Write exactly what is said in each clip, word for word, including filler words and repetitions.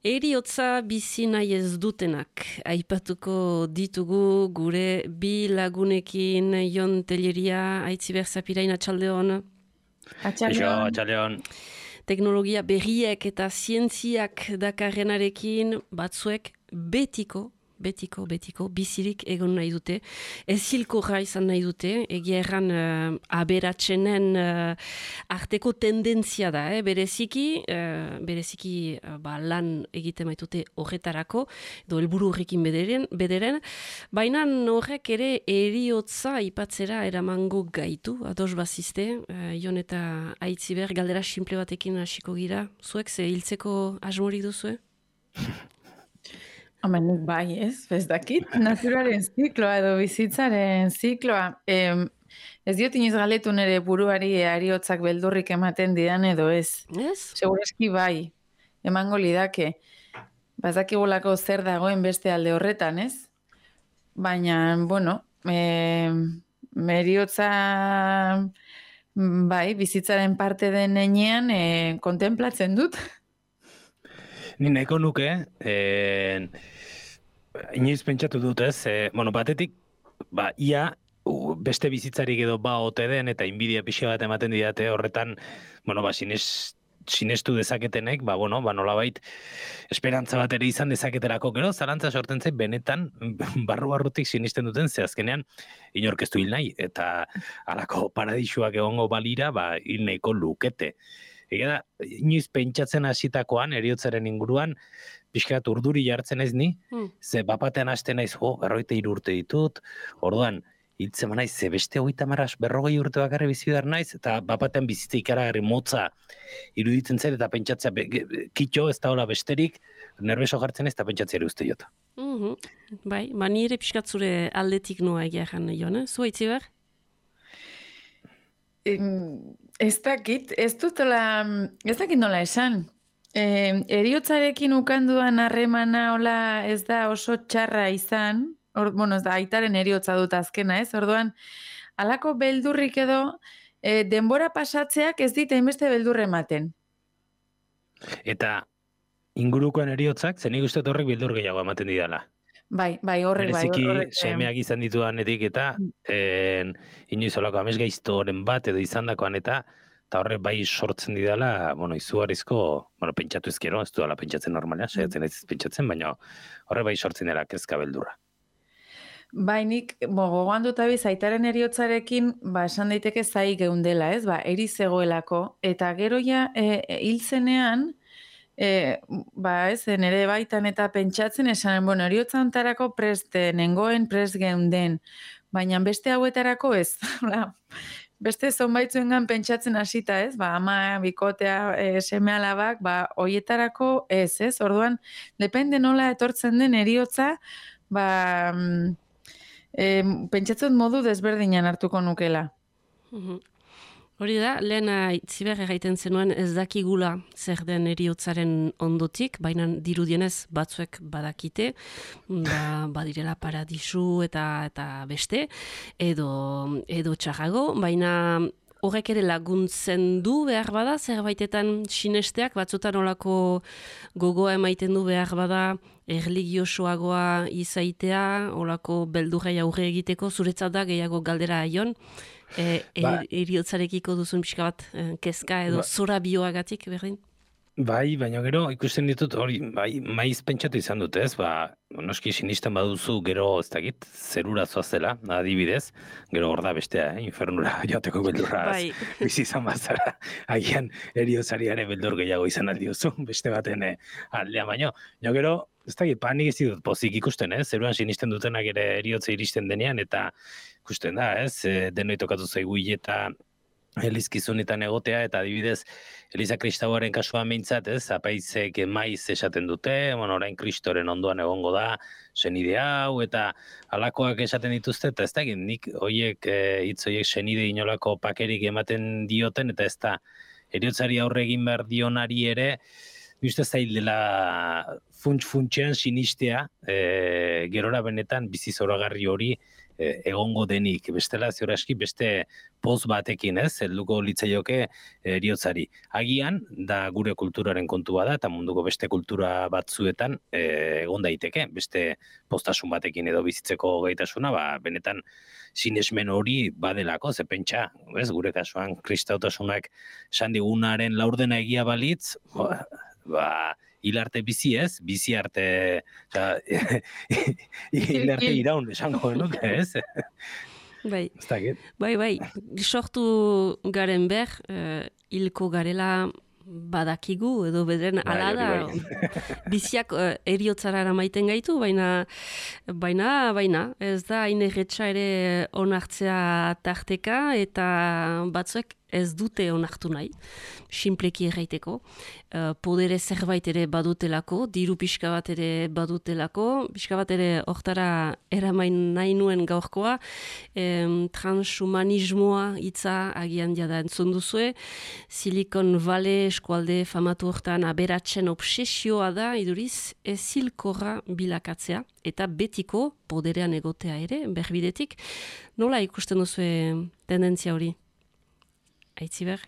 Eriotza bizi nahi ez dutenak aipatuko ditugu gure bi lagunekin. Jon Telleria, Aitziber Zapirain, atxaldeon. Atxaldeon. Atxaldeon. Teknologia berriek eta zientziak dakarrenarekin batzuek betiko, betiko, betiko, bizirik egon nahi dute. Ez hilkorra izan nahi dute, egia erran uh, aberatsenen uh, arteko tendentzia da, eh? bereziki, uh, bereziki uh, ba, lan egite maitute horretarako, edo helburu horrekin bederen, bederen. Baina horrek ere eriotza ipatzera eramango gaitu, ados bazizte, uh, Jon eta Aitziber, galdera simple batekin hasiko gira. Zuek ze hiltzeko asmorik duzue? Hemen bai, ez, ez dakit, naturaren zikloa edo bizitzaren zikloa. Eh, ez diot inoiz galetu nire buruari ariotzak beldurrik ematen didan edo ez. Ez? Segurazki bai, emango lidake. Bazakigulako zer dagoen beste alde horretan, ez? Baina, bueno, eh, meriotza bai, bizitzaren parte den enean eh, kontemplatzen dut. Ni nahiko nuke, eh, inoiz pentsatu dut ez, eh, bueno, batetik, ba, ia, u, beste bizitzarik edo ba ote den, eta inbidia pixa bat ematen didate horretan, bueno, ba, sines, sinestu dezaketenek, ba, bueno, ba, nolabait, esperantza bat ere izan dezaketerako, gero, zarantza sorten zait, benetan, barru-barrutik sinisten duten, ze azkenean, inorkestu hil nahi, eta alako paradisuak egongo balira, ba, hil nahiko lukete. Ega da, inoiz pentsatzen hasitakoan eriotzaren inguruan, pixkat urduri jartzen ez ni, hmm. ze bapatean hasten naiz, jo, berrogeita hiru urte ditut, orduan, hiltzen naiz, ze beste hogeita marras berrogei urte bakarri bizi behar naiz, eta bapatean bizitza ikaragarri motza iruditzen zer, eta pentsatzea, be, kitxo ez da hola besterik, nerbeso jartzen ez, eta pentsatzea ere uste jota. Mm-hmm. Bai, ba nire pixkat zure aldetik noa egia jan, Jon, eh? Zu Aitziber? Ez dakit, ez dutela, ez dakit nola esan. E, eriotzarekin ukanduan harremana hola ez da oso txarra izan, or, bueno, ez da, aitaren eriotza dut azkena, ez? Orduan, halako beldurrik edo, e, denbora pasatzeak ez dit hainbeste beldurre ematen. Eta ingurukoen eriotzak, zenik uste horrek beldur gehiago ematen didala. Bai, bai, horrek, bai. Bereziki, semeak izan ditudanetik eta en, inoiz olako amesgaiztoren bat edo izandakoan eta eta horrek bai sortzen didala, bueno, izugarrizko, bueno, pentsatu ezkero, ez duela pentsatzen normalean, saiatzen ez pentsatzen, baina horrek bai sortzen dela kezka beldurra. Bai, nik, gogoan dut abiz, aitaren eriotzarekin, ba, esan daiteke zai geundela, ez, ba, eri zegoelako, eta gero ja, e, hil zenean, E, ba ez, nire baitan eta pentsatzen esan, bueno, eriotza ontarako prest nengoen, prest geunden, baina beste hauetarako ez, beste zonbaitzuengan pentsatzen hasita ez, ba ama, bikotea, e, seme alabak, ba hoietarako ez, ez, orduan, depende nola etortzen den eriotza, ba e, pentsatzen modu desberdinan hartuko nukela. Mhm. Hori da, lehen Aitziber egiten zenuen ez dakigula zer den eriotzaren ondotik, baina dirudienez batzuek badakite, ba, badirela paradisu eta eta beste, edo, edo txarrago, baina horrek ere laguntzen du behar bada, zerbaitetan sinesteak, batzutan olako gogoa emaiten du behar bada, erligiosoagoa izaitea, olako beldurrei aurre egiteko, zuretzat da gehiago galdera Jon, e, ba, eriotzarekiko duzun pixka bat kezka edo ba, zora bioagatik berdin? Bai, baina gero ikusten ditut hori, bai, maiz pentsatu izan dute ez, ba, noski sinisten baduzu gero ez dakit, zerura zoazela, adibidez, gero hor da bestea, eh, infernura joateko beldurra bai. Bizi izan bazara, agian eriotzariare beldur gehiago izan aldiozu, beste baten eh, aldea baino. Jo gero, ez dakit, panik ez ditut pozik ikusten, ez, zeruan sinisten dutenak ere eriotza iristen denean, eta ikusten da, ez, denoi tokatu zaigu eta elizkizunetan egotea, eta adibidez, Eliza Kristauaren kasuan meintzat, ez, apaizek maiz esaten dute, bueno, orain Kristoren ondoan egongo da, senide hau, eta alakoak esaten dituzte, eta ez da, nik hoiek, hitz hoiek senide inolako pakerik ematen dioten, eta ez da, eriotzari aurre egin behar dionari ere, uste zail dela funts-funtsean sinistea, e, gerora benetan bizi zoragarri hori e, egongo denik. Bestela, ziuraski, beste poz batekin, ez, helduko litzaioke eriotzari. Agian, da gure kulturaren kontua da, eta munduko beste kultura batzuetan e, egon daiteke, beste postasun batekin edo bizitzeko gaitasuna, ba, benetan sinesmen hori badelako, ze pentsa, ez, gure kasuan, kristautasunak esan digunaren laurdena egia balitz, ba, ba hilarte bizi ez, bizi arte, oza, hilarte iraun esango genuke, ez? Bai, bai, bai, sortu garen ber, uh, hilko garela badakigu, edo bederen ala da, biziak uh, eriotzara eramaiten gaitu, baina, baina, baina, ez da hain erretxa ere onartzea tarteka, eta batzuek ez dute onartu nahi, sinpleki erraiteko. Uh, podere zerbait ere badutelako, diru pixka bat ere badutelako, pixka bat ere hortara eramain nahi nuen gaurkoa, em, transhumanismoa hitza agian jada entzun duzue, Silicon Valley eskualde famatu hortan aberatzen obsesioa da, iduriz, ezilkorra bilakatzea, eta betiko poderean egotea ere, berbidetik. Nola ikusten duzue tendentzia hori? Aitziber?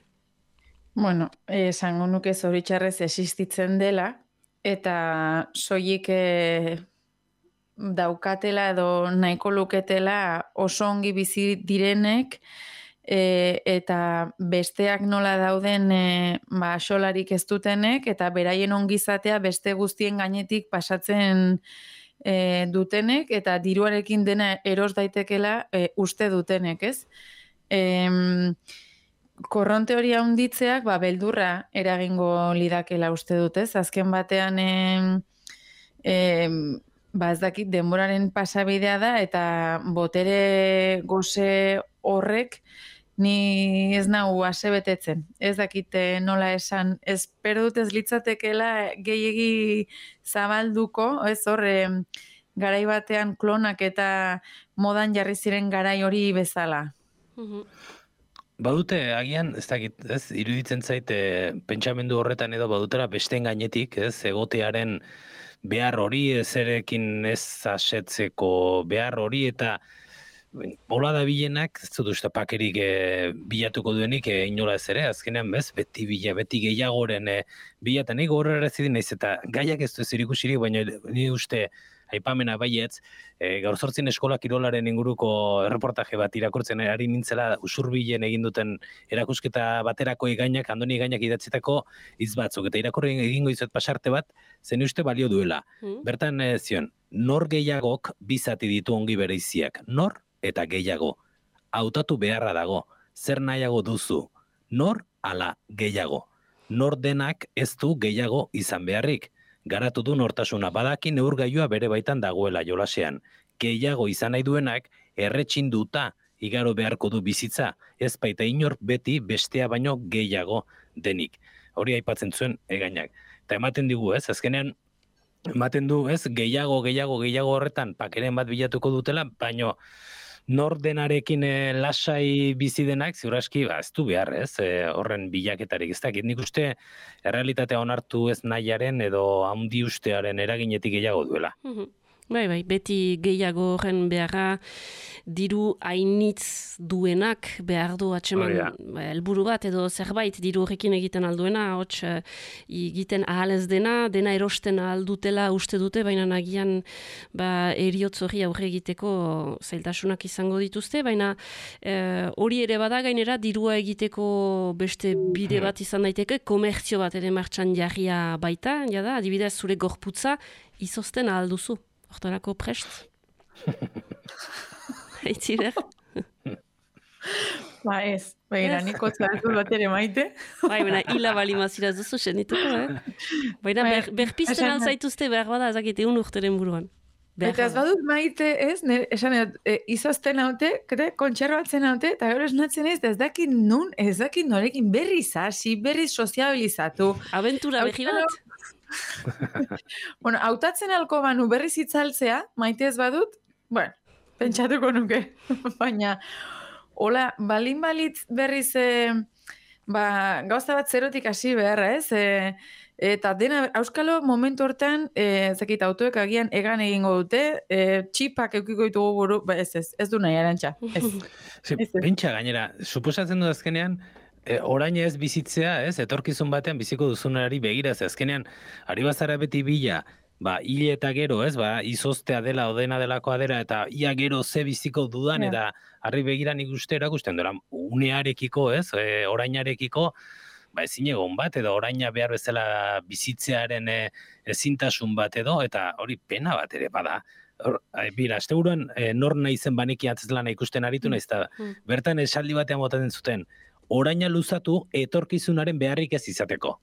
Bueno, esango nuke zoritxarrez existitzen dela, eta soilik eh, daukatela edo nahiko luketela oso ongi bizi direnek, eh, eta besteak nola dauden eh, ba, solarik ez dutenek, eta beraien ongizatea beste guztien gainetik pasatzen eh, dutenek, eta diruarekin dena eros daitekela eh, uste dutenek, ez? Em... Korronte hori handitzeak, ba, beldurra eragingo lidakela uste dutez. Azken batean, em, em, ba, ez dakit, denboraren pasabidea da, eta botere goze horrek ni ez nahu asebetetzen. Ez dakit nola esan, espero dut ez litzatekela gehiegi zabalduko, ez horre, garai batean klonak eta modan jarri ziren garai hori bezala. Mhm. Badute, agian, ez dakit, ez, iruditzen zaite pentsamendu horretan edo badutera besteen gainetik, ez, egotearen behar hori, ezerekin ez asetzeko behar hori, eta hola da bilenak, ez dut uste pakerik e, bilatuko duenik e, inola ez ere, azkenean bez, beti bila, beti gehiagoren e, bilatan, nik horrela ez zidin naiz, eta gaiak ez du ez irikusirik, baina ni uste aipamena baietz, e, gaur zortzin eskola kirolaren inguruko erreportaje bat irakurtzen ari nintzela usurbilen egin duten erakusketa baterako igainak, andoni igainak idatzitako hitz batzuk, eta irakurri egingo izuet pasarte bat, zen uste balio duela. Mm. Bertan e, zion, nor gehiagok bizati ditu ongi bereiziak, nor eta gehiago. Hautatu beharra dago, zer nahiago duzu, nor ala gehiago. Nor denak ez du gehiago izan beharrik. Garatu du nortasuna, badaki neurgailua bere baitan dagoela jolasean. Gehiago izan nahi duenak, erretxin duta igaro beharko du bizitza, ez baita inor beti bestea baino gehiago denik. Hori aipatzen zuen egainak. Eta ematen digu, ez, azkenean, ematen du, ez, gehiago, gehiago, gehiago horretan, pakeren bat bilatuko dutela, baino, nor denarekin e, lasai bizi denak, ziuraski, ba, ez du behar, ez, e, horren bilaketarik, ez dakit, nik uste errealitatea onartu ez nahiaren edo handi ustearen eraginetik gehiago duela. Bai, bai, beti gehiago horren beharra diru hainitz duenak behar du atseman helburu bat edo zerbait diru horrekin egiten alduena, hots egiten ahal ez dena, dena erosten ahal dutela uste dute, baina nagian ba, eriotz hori aurre egiteko zailtasunak izango dituzte, baina eh, hori ere bada gainera dirua egiteko beste bide bat izan daiteke, komertzio bat ere martxan jarria baita, jada, adibidez zure gorputza izozten ahal duzu. Hortarako prest? Aitziber? Ba ez, baina niko zartu bat ere maite. Bai, baina hila bali mazira duzu senituko, eh? Baina ber, berpizten alzaituzte behar bada ezakite un urteren buruan. Eta ez badut maite, ez, esan e, izozten haute, kontserbatzen haute, eta gero esnatzen ez, ez dakit nun, ez dakit norekin berri zasi, berri soziabilizatu. Aventura behi bat? Bueno, hautatzen alko banu berriz itzaltzea, maite ez badut, bueno, pentsatuko nuke, baina, hola, balin balitz berriz, e, ba, gauza bat zerotik hasi beharra, ez, e, Eta dena, auskalo momentu hortan, e, zekit autoek agian egan egingo dute, e, txipak eukiko ditugu buru, ba, ez ez, ez du nahi arantxa. Ez. Ze, Ez, ez. pentsa gainera, suposatzen du azkenean, e, orain ez bizitzea, ez, etorkizun batean biziko duzunari begira, ze azkenean, ari bazara beti bila, ba, hile eta gero, ez, ba, izoztea dela, odena delakoa dela, eta ia gero ze biziko dudan, Ja. eta harri begiran ikuste erakusten dira, unearekiko, ez, e, orainarekiko, ba, ezin egon bat, edo oraina behar bezala bizitzearen e, ezintasun bat edo, eta hori pena bat ere bada. Hor, ai, bira, asteburuan e, nor naizen baneki antzezlana ikusten aritu naiz, eta Mm. bertan esaldi batean botatzen zuten, oraina luzatu etorkizunaren beharrik ez izateko.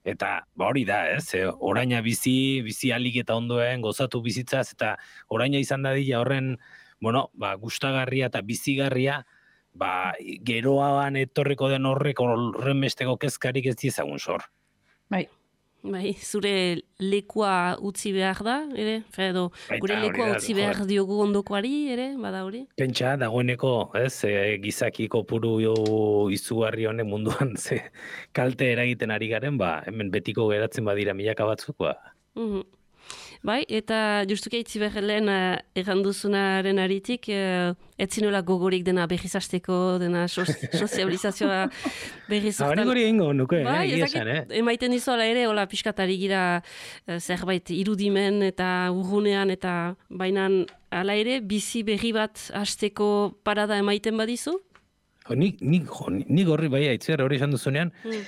Eta ba hori da, ez? E, oraina bizi, bizi alik eta ondoen, gozatu bizitzaz, eta oraina izan dadila horren, bueno, ba, gustagarria eta bizigarria, ba, geroan etorriko den horrek horren besteko kezkarik ez diezagun sor. Bai. Bai, zure lekua utzi behar da, ere? Fe, edo, Baita, gure hori lekua da, utzi joder. behar diogu ondokoari, ere? Bada hori? Pentsa, dagoeneko, ez, e, gizaki kopuru izugarri honek munduan ze kalte eragiten ari garen, ba, hemen betiko geratzen badira milaka batzuk, ba. Mhm. Bai, eta justuki aitzi behar lehen uh, erranduzunaren aritik, uh, etzinola gogorik dena berriz hasteko, dena sos, sozializazioa berriz Hori gori egingo nuke, Bai, eh, egia ez esan, dakit, eh? emaiten dizuala ere, hola pixkatari gira eh, zerbait irudimen eta urgunean, eta bainan hala ere, bizi berri bat hasteko parada emaiten badizu? Jo, nik, nik, jo, nik horri bai aitzer hori esan duzunean, Mm.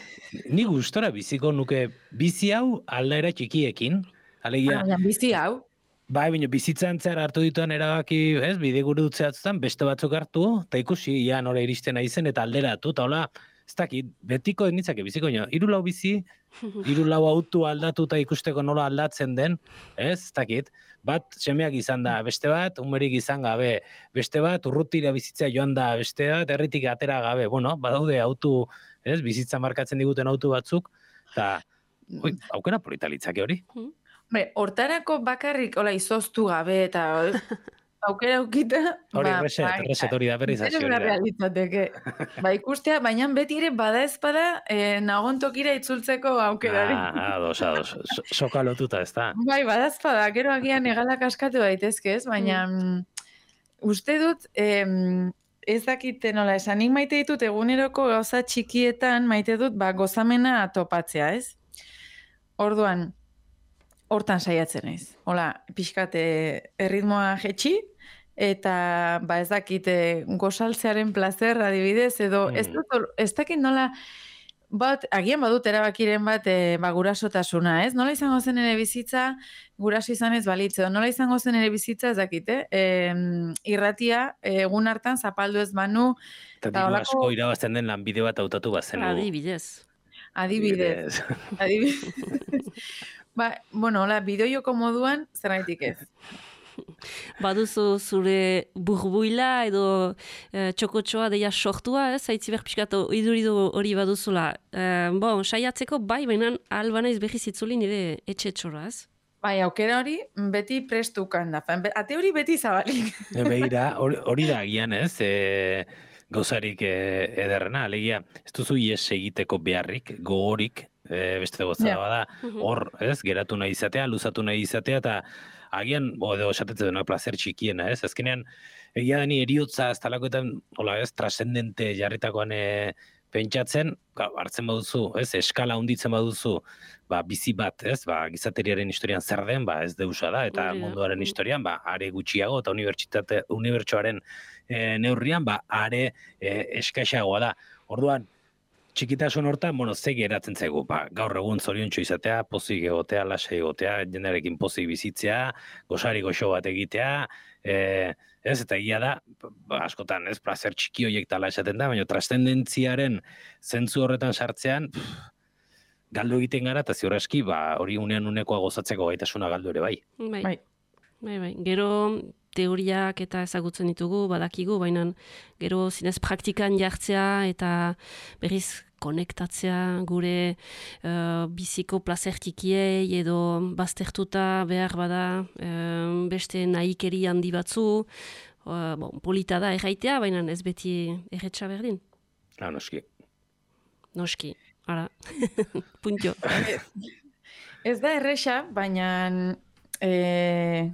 nik gustora biziko nuke bizi hau aldaera txikiekin, alegia, Ah, bizi hau. bai, baina bizitzan zehar hartu dituan erabaki, ez, bide gure dutzeatzutan, beste batzuk hartu, eta ikusi, ia nora iristen aizen, eta alderatu, eta hola, ez dakit, betiko nitzake biziko, nio, hiru lau bizi, hiru lau autu aldatu eta ikusteko nola aldatzen den, ez, ez dakit, bat semeak izan da, beste bat, umerik izan gabe, beste bat, urrutira bizitzea joan da, beste bat, herritik atera gabe, bueno, badaude autu, ez, bizitza markatzen diguten autu batzuk, eta, oi, aukera polita litzake hori. Hombre, hortarako bakarrik, hola, izoztu gabe, eta aukera aukita, Hori, ba, reset, bai, reset hori da, berrizazio Zero hori da. realitateke. Ba, ikustea, baina beti ere bada ezpada, eh, nagon tokira itzultzeko aukerari. Ah, ados, ados. So- Soka lotuta, ez da. Bai, bada ezpada, gero agian egalak askatu daitezke, ez? Baina mm. uste dut, em, ez dakite nola esan, nik maite ditut eguneroko gauza txikietan, maite dut, ba, gozamena topatzea, ez? Orduan, hortan saiatzen naiz. Hola, pixkate erritmoa jetxi, eta ba ez dakite gozaltzearen plazer adibidez, edo Mm. ez, dut, ez dakit nola, bat, agian badut erabakiren bat e, ba, gurasotasuna, ez? Nola izango zen ere bizitza, guraso izan ez balitz, edo nola izango zen ere bizitza, ez dakite, e, irratia egun hartan zapaldu ez banu, Eta Eta diru holako- asko irabazten den lanbide bat hautatu bazenu. Adibidez. adibidez. Adibidez. Ba, bueno, hola, bideojoko moduan, zergaitik ez. Baduzu zure burbuila edo eh, txokotxoa deia sortua, ez? Aitziber pixkat iduridu hori baduzula. Eh, bon, saiatzeko bai, baina alba naiz berriz itzuli nire etxe-etxora, ez? Bai, aukera hori beti prestukan da. Fan, be- Ate hori beti zabalik. E, Begira, hori, hori da agian, ez? E, gauzarik e, ederrena, alegia, ez duzu ies egiteko beharrik, gogorik, e, beste gozada Ja. bada, hor, ez? Geratu nahi izatea, luzatu nahi izatea, eta agian, bo, edo esatetzen dena placer txikiena, ez? Azkenean, egia dani eriotza, ez talakoetan, hola, ez? Trascendente jarritakoan e, pentsatzen, ga, hartzen baduzu, ez? Eskala hunditzen baduzu, ba, bizi bat, ez? Ba, gizateriaren historian zer den, ba, ez deusa da, eta Hori da. munduaren Mm. historian, ba, are gutxiago, eta unibertsitate, unibertsoaren e, neurrian, ba, are e, eskaxagoa da. Orduan, txikitasun hortan, bueno, ze geratzen zaigu, ba, gaur egun zoriontsu izatea, pozik egotea, lasai egotea, jendearekin pozik bizitzea, gozari goxo bat egitea, e, ez, eta egia da, ba, askotan, ez, placer txiki horiek tala esaten da, baina trascendentziaren zentzu horretan sartzean, pff, galdu egiten gara, eta ziur aski, ba, hori unean unekoa gozatzeko gaitasuna galdu ere bai. Bai. Bai. Bai, bai. Gero teoriak eta ezagutzen ditugu, badakigu, baina gero zinez praktikan jartzea eta berriz konektatzea gure uh, biziko plazer txikiei edo baztertuta behar bada uh, beste nahikeri handi batzu, uh, bon, polita da erraitea, baina ez beti erretxa berdin. Ah, noski. Noski. ara, puntio. Ez da erresa, baina e,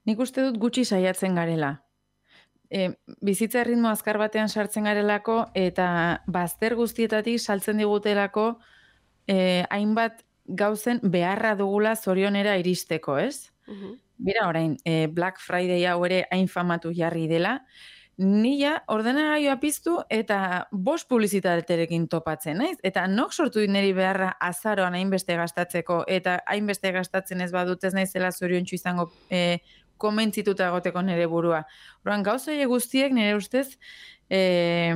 nik uste dut gutxi saiatzen garela. E, bizitza erritmo azkar batean sartzen garelako eta bazter guztietatik saltzen digutelako e, hainbat gauzen beharra dugula zorionera iristeko, ez? Uh-huh. Bira orain, e, Black Friday hau ere hain famatu jarri dela, nila ordenagailua piztu eta bost publizitaterekin topatzen, naiz? Eta nok sortu dit niri beharra azaroan hainbeste gastatzeko eta hainbeste gastatzen ez badut ez naizela zoriontsu izango e, komentzituta egoteko nire burua. Orduan, gauza horiek guztiek nire ustez eh,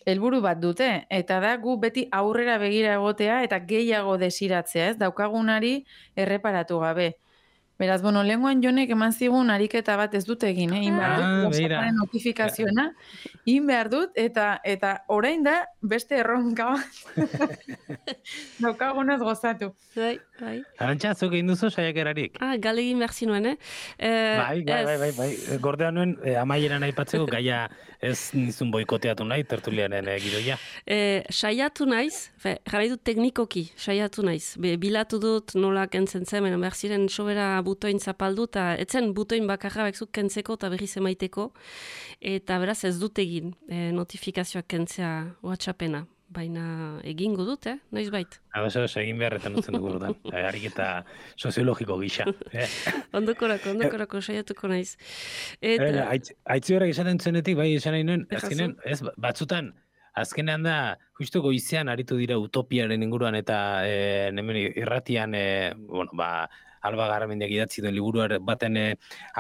helburu bat dute, eta da gu beti aurrera begira egotea eta gehiago desiratzea, ez? Daukagunari erreparatu gabe. Beraz, bueno, lenguan jonek eman zigun ariketa bat ez dut egin, eh? In behar dut, Ah, WhatsApparen notifikazioa, in behar dut, eta eta orain da beste erronka bat daukagunaz gozatu. Bai, bai. Arantxa, zuk egin duzu saiakerarik? Ah, galegin behar zinuen, eh? eh Bai, bai, bai, bai, bai. Gordea nuen, eh, amaieran aipatzeko gaia ez nizun boikoteatu nahi, tertulianen eh, gidoia. Eh, saiatu naiz, fe, jarrai dut teknikoki, saiatu naiz. Be, bilatu dut nola kentzen zen, behar ziren sobera butoin zapaldu, eta etzen butoin bakarra bekzuk kentzeko eta berriz emaiteko, eta beraz ez dut egin eh, notifikazioak kentzea WhatsAppena. Baina egingo dut, eh? Noiz bait. Ados, ados, egin beharretan utzen dugu ordan. Ariketa soziologiko gisa. Eh? Ondokorako, ondokorako saiatuko naiz. Eta... Aitzi horrek esaten zuenetik, bai, esan nahi nuen, azkenean, ez, batzutan, azkenean da, justu goizean aritu dira utopiaren inguruan eta e, nemen irratian, e, bueno, ba, Alba Garamendiak idatzi duen liburu baten e,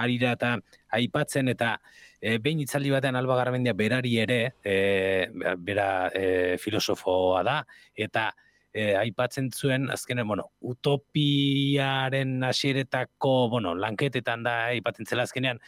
arira eta aipatzen, eta e, behin itzaldi batean Alba Garamendia berari ere, e, bera e, filosofoa da, eta e, aipatzen zuen, azkenean, bueno, utopiaren hasieretako, bueno, lanketetan da, aipatzen zela azkenean,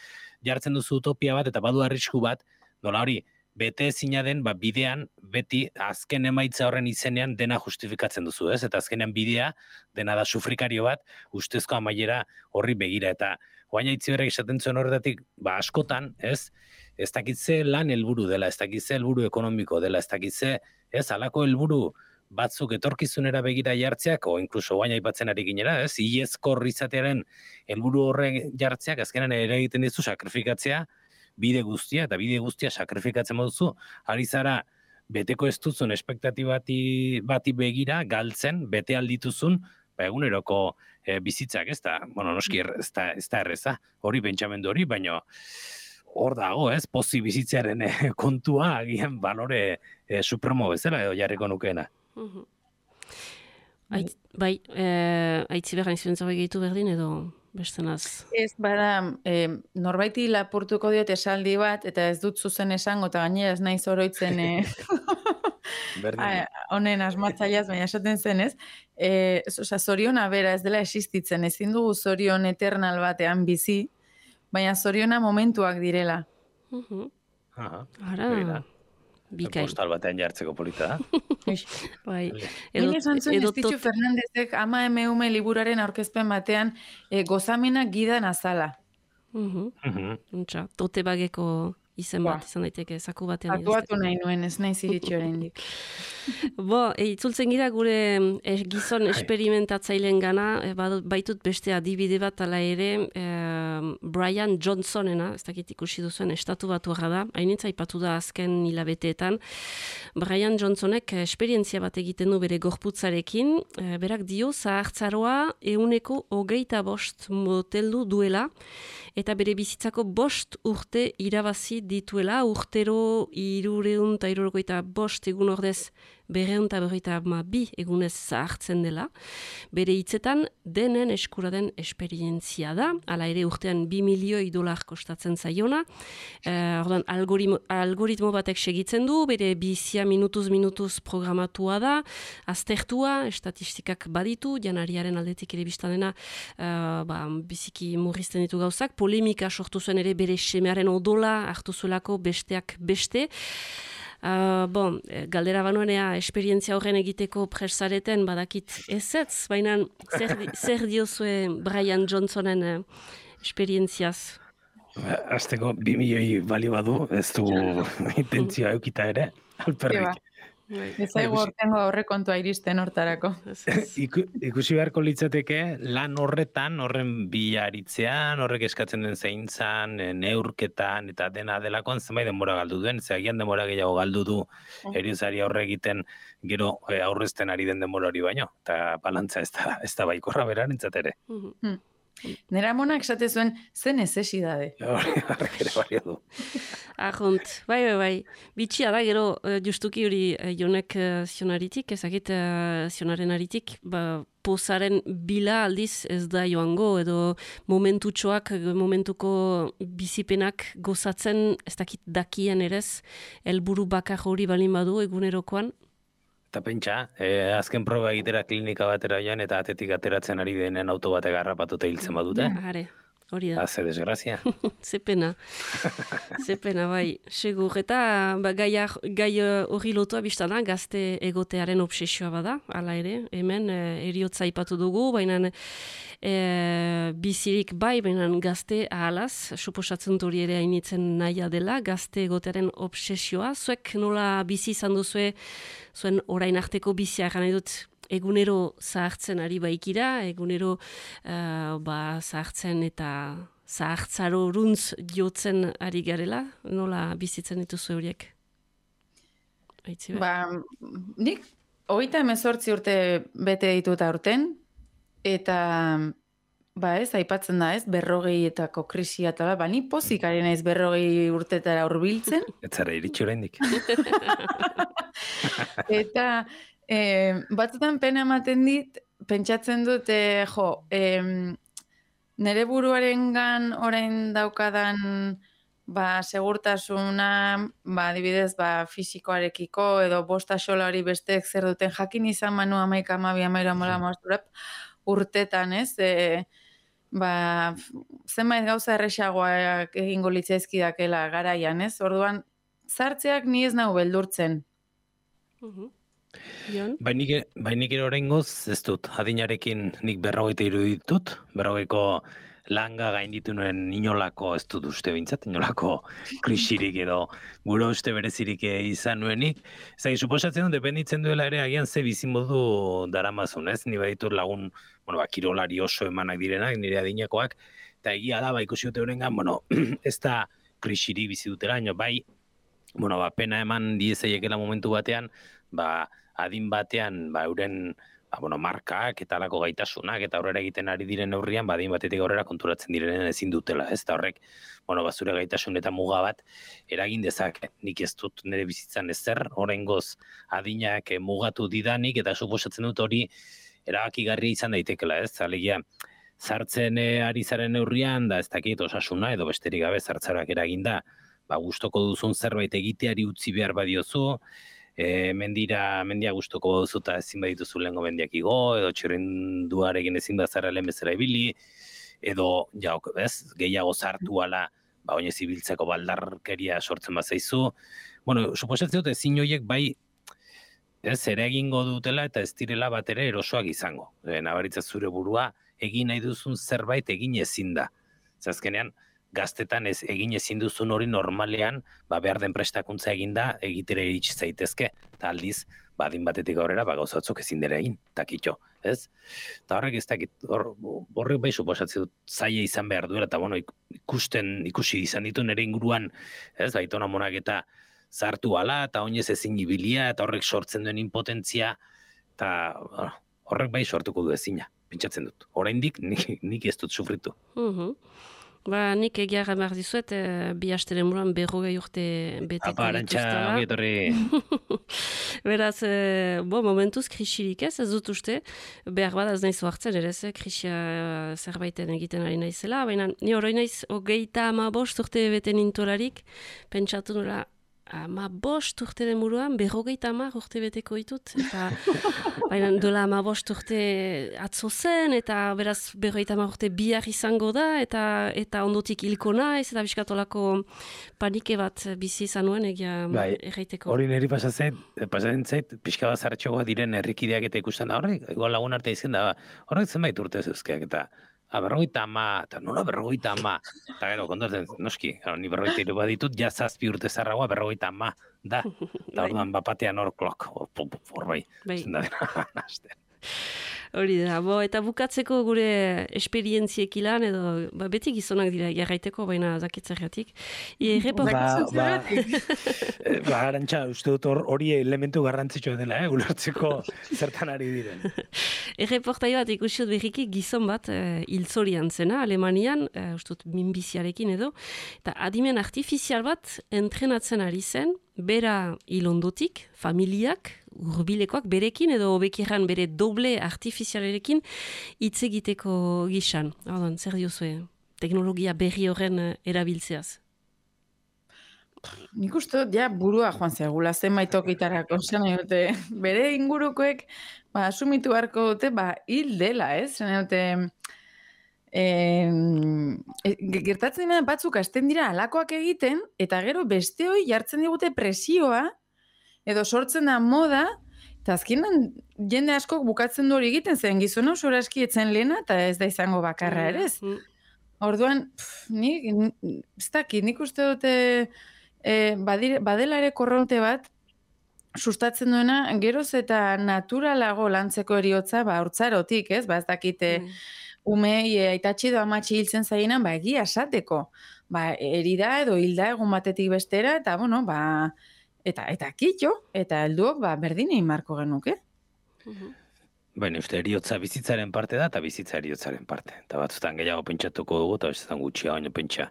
jartzen duzu utopia bat, eta badu arrisku bat, nola hori, bete ezina den, ba, bidean, beti azken emaitza horren izenean dena justifikatzen duzu, ez? Eta azkenean bidea, dena da sufrikario bat, ustezko amaiera horri begira. Eta Joaina Itziberrek esaten zuen horretatik, ba, askotan, ez? Ez dakitze lan helburu dela, ez dakitze helburu ekonomiko dela, ez dakitze, ez? Halako helburu batzuk etorkizunera begira jartzeak, o inkluso Joaina aipatzen ari ginera, ez? Iezko izatearen helburu horren jartzeak, azkenan ere egiten dizu sakrifikatzea, bide guztia, eta bide guztia sakrifikatzen moduzu, ari zara beteko ez duzun espektatibati bati begira, galtzen, bete aldituzun, ba, eguneroko e, bizitzak, ez da, bueno, noski, ez da, ez da erreza, hori pentsamendu hori, baina hor dago, ez, pozi bizitzearen e, kontua, agian balore e, supremo bezala, edo jarriko nukeena. Uh-huh. Ait, bai, e, aitzi behar nizuen zabe gehitu berdin, edo... Bestenaz. Ez, bada, e, norbaiti lapurtuko diot esaldi bat, eta ez dut zuzen esango, eta gainera ez naiz oroitzen e, honen asmatzaileaz, baina esaten zen, ez? E, oza, zoriona bera ez dela existitzen, ezin dugu zorion eternal batean bizi, baina zoriona momentuak direla. Uh-huh. Aha, ara, bikain. Postal batean jartzeko polita, da? Bai. Edo, esan zuen Estitxu Fernandezek ama emeume liburaren aurkezpen batean e, gozamena gidan azala. Uh-huh. Uh-huh. Tote bageko izen bat, izan daiteke, zaku batean. Atuatu nahi nuen, ez nahi ziritxi oraindik. Bo, e, itzultzen gira gure e, gizon esperimentatzaileen gana, e, baitut beste adibide bat ala ere, e, Brian Johnsonena, ez dakit ikusi duzuen, estatu batu da, hainitza ipatu da azken hilabeteetan. Brian Johnsonek esperientzia bat egiten du bere gorputzarekin, e, berak dio zahartzaroa euneko hogeita bost moteldu duela, eta bere bizitzako bost urte irabazi dituela, urtero irureun eta irurokoita bost egun ordez berreun eta berroita ma bi egunez zahartzen dela. Bere hitzetan denen eskura den esperientzia da, hala ere urtean bi milioi dolar kostatzen zaiona. E, ordan, algoritmo, algoritmo batek segitzen du, bere bizia minutuz minutuz programatua da, aztertua, estatistikak baditu, janariaren aldetik ere biztan dena, e, ba, biziki murrizten ditu gauzak, polemika sortu zuen ere bere semearen odola hartu zuelako besteak beste. Uh, bon, galdera banuenea esperientzia horren egiteko presareten badakit ezetz, baina zer, zer diozue Brian Johnsonen eh, esperientziaz? Azteko bi milioi balio badu, ez du intentzioa eukita ere, alperrik. Ez zaigu hortengo aurrekontua iristen hortarako. Iku, ikusi beharko litzateke lan horretan, horren bilaritzean, horrek eskatzen den zeintzan, neurketan eta dena delakoan zenbait denbora galdu duen, ze agian denbora gehiago galdu du eriozari aurre egiten gero e, aurrezten ari den denbora hori baino, eta balantza ez da, ez da baikorra berarentzat ere. Mm. Nera monak esate zuen, ze necesidade. Horrek ere bario du. Ahont, bai, bai, bai. Bitxia da, gero, justuki hori jonek zionaritik, ezakit zionaren aritik, ba, pozaren bila aldiz ez da joango, edo momentutxoak, momentuko bizipenak gozatzen, ez dakit dakien erez, helburu bakar hori balin badu egunerokoan. Eta pentsa, eh, azken proba egitera klinika batera joan eta atetik ateratzen ari denen auto batek harrapatuta hiltzen badute. Are, hori da. Haze desgrazia. Ze pena. Ze pena, bai. Segur, eta ba, gai gai hori lotua biztana, gazte egotearen obsesioa bada, hala ere, hemen e, eriotza aipatu dugu, baina e, bizirik bai, baina gazte ahalaz, suposatzen hori ere hainitzen nahia dela, gazte egotearen obsesioa. Zuek nola bizi izan duzue, zuen orain arteko bizia gana dut egunero zahartzen ari baikira, egunero uh, ba, zahartzen eta zahartzaro runtz jotzen ari garela, nola bizitzen dituzu horiek? Aitziber? Ba, nik hogeita hemezortzi urte bete ditut aurten, eta ba ez, aipatzen da ez, berrogeietako krisia eta ba, ni pozik ari naiz berrogei urtetara hurbiltzen. Ez zara iritsi oraindik. Eta e, batzutan pena ematen dit, pentsatzen dut, e, jo, e, nere buruarengan orain daukadan ba, segurtasuna, ba, adibidez, ba, fisikoarekiko, edo bosta xola hori besteek zer duten jakin izan manu amaika amabi amaira mola mazturep, urtetan, ez? E, ba, zenbait gauza erresagoak egingo litzaizkidakela garaian, ez? Orduan, zartzeak ni ez nau beldurtzen. Uh-huh. Jon? Bai nik, bai nik ere oraingoz ez dut, adinarekin nik berrogeita hiru ditut, berrogeiko langa gainditu nuen inolako, ez dut uste bintzat, inolako krisirik edo gure uste berezirik izan nuenik. Zai, suposatzen dut, dependitzen duela ere agian ze bizimodu daramazun, ez? Ni baditut lagun, bueno, ba, kirolari oso emanak direnak, nire adinakoak, eta egia da, ba, ikusi dute horrengan, bueno, ez da krisirik bizi dutela, baina bai, bueno, ba, pena eman diezaiekela momentu batean, ba, adin batean, ba, euren, ba, bueno, markak eta alako gaitasunak eta aurrera egiten ari diren neurrian, ba, adin batetik aurrera konturatzen direnen ezin dutela, ez da horrek, bueno, ba, zure gaitasun eta muga bat eragin dezake. Nik ez dut nire bizitzan ezer, oraingoz adinak mugatu didanik, eta suposatzen dut hori erabakigarri izan daitekela, ez? Alegia, zartzen ari zaren neurrian, da ez dakit osasuna, edo besterik gabe zartzarak eraginda, ba, gustoko duzun zerbait egiteari utzi behar badiozu, e, mendira, mendia gustoko duzu eta ezin badituzu lehengo mendiak igo, edo txirrinduarekin ezin bazara lehen bezala ibili, edo, ja, ez, gehiago zartu ala, ba, oinez ibiltzeko baldarkeria sortzen bazaizu. Bueno, suposatzen dut ezin horiek bai, ez, ere egingo dutela eta ez direla bat ere erosoak izango. E, nabaritza zure burua, egin nahi duzun zerbait egin ezin da. Zazkenean, gaztetan ez egin ezin duzun hori normalean, ba, behar den prestakuntza eginda egitere iritsi zaitezke, eta aldiz, badin batetik aurrera, ba, gauzatzuk ezin dira egin, takitxo, ez? Eta horrek ez dakit, hor, horrek bai suposatzen dut zaila izan behar duela, eta bueno, ikusten, ikusi izan ditu nire inguruan, ez, baitona monak eta zartu ala, eta oinez ezin ibilia, eta horrek sortzen duen impotentzia, eta horrek bai sortuko du ezina, pentsatzen dut. Oraindik nik, nik ez dut sufritu. Uh-huh. Ba, nik egiarra behar dizuet, e, bi asteren buruan berrogei urte beteko Apa, arantxa, ongi etorri. Beraz, e, bo, momentuz krisirik ez, ez dut uste, behar bada ez naiz oartzen ere, ez, krisia zerbaiten egiten ari naizela, baina ni hori naiz, hogeita ama bost urte bete nintolarik, pentsatu nola, ama bost urte den buruan, berrogeita ama urte beteko ditut, eta baina dola ama bost urte atzo zen, eta beraz berrogeita ama urte bihar izango da, eta eta ondotik hilko naiz, eta biskatolako panike bat bizi izan nuen egia bai, erraiteko. Hori niri pasatzen, pasatzen zait, pixka bat zartxoa diren herrikideak eta ikusten da, horrek, igual lagun arte izan da, horrek zenbait urte zeuzkeak, eta a, berrogeita ama, eta nola berrogeita ama, eta gero, kontatzen, noski, gero, ni berrogeita hiru baditut, ja zazpi urte zarragoa berrogeita ama da. Eta orduan bapatean hor klok, hor bai, zen da dena, nazten. Hori da, bo, eta bukatzeko gure esperientziek ilan, edo ba, beti gizonak dira jarraiteko, baina zakitzergatik. Ba, ba, ba, Arantxa, uste dut hori elementu garrantzitsua dela, eh, ulertzeko zertan ari diren. Erreportai bat ikusi dut berriki gizon bat eh, hiltzorian zena, Alemanian, eh, uste dut minbiziarekin edo, eta adimen artifizial bat entrenatzen ari zen, bera hilondotik, familiak, urbilekoak berekin edo hobekirran bere doble artifizialerekin hitz egiteko gisan. Ordan, zer diozue teknologia berri horren erabiltzeaz? Nik uste dut, ja, burua joan zegula zenbait tokitarako, zen dute, bere ingurukoek, ba, asumitu beharko dute, ba, hil dela, ez? Zen dute, eh, gertatzen dira batzuk hasten dira alakoak egiten, eta gero beste hoi jartzen digute presioa, edo sortzen da moda, eta azkenan jende askok bukatzen du hori egiten, zen gizona oso aski etzen lehena, eta ez da izango bakarra ere ez. Orduan, pff, nik, ez dakit, nik uste dute e, badire, badela ere korronte bat, sustatzen duena, geroz eta naturalago lantzeko eriotza, ba, hortzarotik, ez, ba, ez dakite, mm. umei, aitatxi edo amatxi hiltzen zaienan, ba, egia esateko, ba, erida edo hilda egun batetik bestera, eta, bueno, ba, Eta, eta kitxo, eta helduok ba, berdin egin marko genuke. Uh-huh. Baina, uste, eriotza bizitzaren parte da, eta bizitza eriotzaren parte. Eta batzutan gehiago pentsatuko dugu, eta batzutan gutxia baino pentsa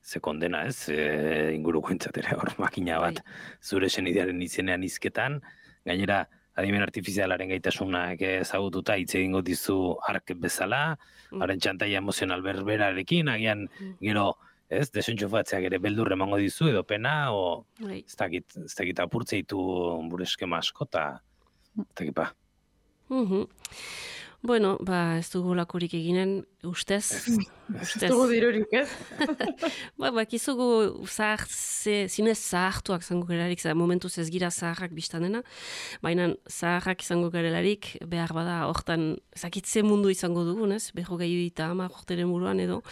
ze kondena, ez? E, inguruko entzatera hor makina bat zure senidearen izenean izketan, gainera, adimen artifizialaren gaitasunak ezagututa hitz egingo dizu ark bezala, uh-huh. haren txantaia emozional berberarekin, agian gero, ez, desentxufatzeak ere beldur emango dizu edo pena, o ez dakit, ez dakit apurtzeitu bure eskema asko, eta ez dakit ba. Uh-huh. Bueno, ba, ez dugu lakorik eginen, ustez. Ez, ez dugu dirurik, ez? ba, ba, kizugu zahar, zinez zahartuak zango gerelarik, momentuz ez gira zaharrak biztanena, baina zaharrak izango gerelarik, behar bada, hortan, zakitze mundu izango dugun, ez? Beho gehiu eta ama, jorteren buruan edo.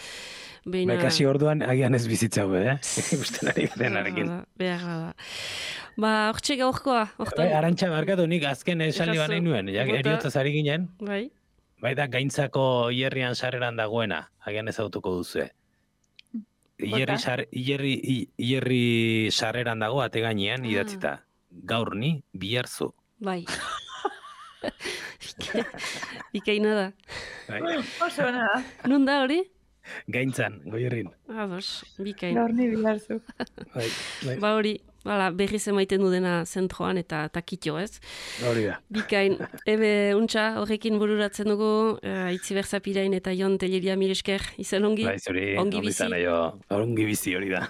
Beina... Ba, kasi orduan agian ez bizitza hube, eh? Usten ari denarekin. Behar bada. Ba, hortxe gaurkoa. Bai, Arantxa, barkatu nik azken esaldi banei nuen, ja, eriotza zari ginen. Bai. Bai da, gaintzako hierrian sarreran dagoena, agian ez autuko duzue. Hierri, sar, hierri, hierri sarreran dago, ate gainean, ah. idatzita. Gaur ni, bihar zu. Bai. Ikaina da. Bai. Oso da. Nun da hori? Gaintzan, goierrin. Ados, bikain. Gaur ni bihar zu. Bai, bai. Ba hori, bala, berriz emaiten du dena zentroan eta takitxo, ez? Hori da. Bikain, ebe, untxa, horrekin bururatzen dugu, uh, Itziber Zapirain eta Jon Telleria Milesker, izan ongi? Bai, zori, ongi bizi. Ongi bizi hori da.